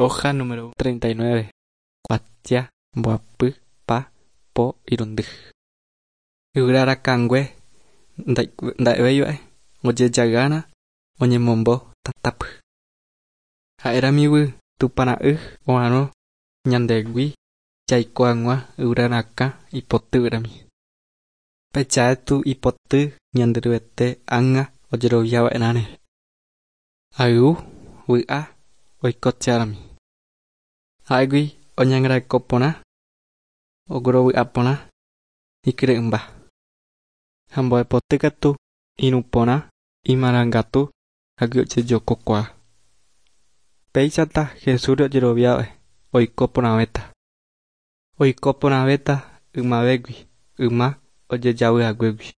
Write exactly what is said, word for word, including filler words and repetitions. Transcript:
Hoja número treinta y nueve. Kuatia mbohapy pa po irundy. Yvyra rakãngue nda'evéiva'e ojejagána oñemombo tatápy. Ha'éramigui Tupãra'y oha'arõ ñandehegui jaiko hag̃ua yvyra rakã ipotýrami. Peichaétu ipoty Ñanderuete ág̃a ojeroviava'erãre. Ayvu vy'a oikocheárami. Ha'égui oñangareko porã, oguerovy'a porã ikyre'ỹmba. Ha mbo'epoty katu irũ porã imarangatu hágui ojejokokuaa. Péichata Jesúsre ojeroviáva'e oiko porãvéta. Oiko porãvéta ymavégui yma ojejavyhaguégui.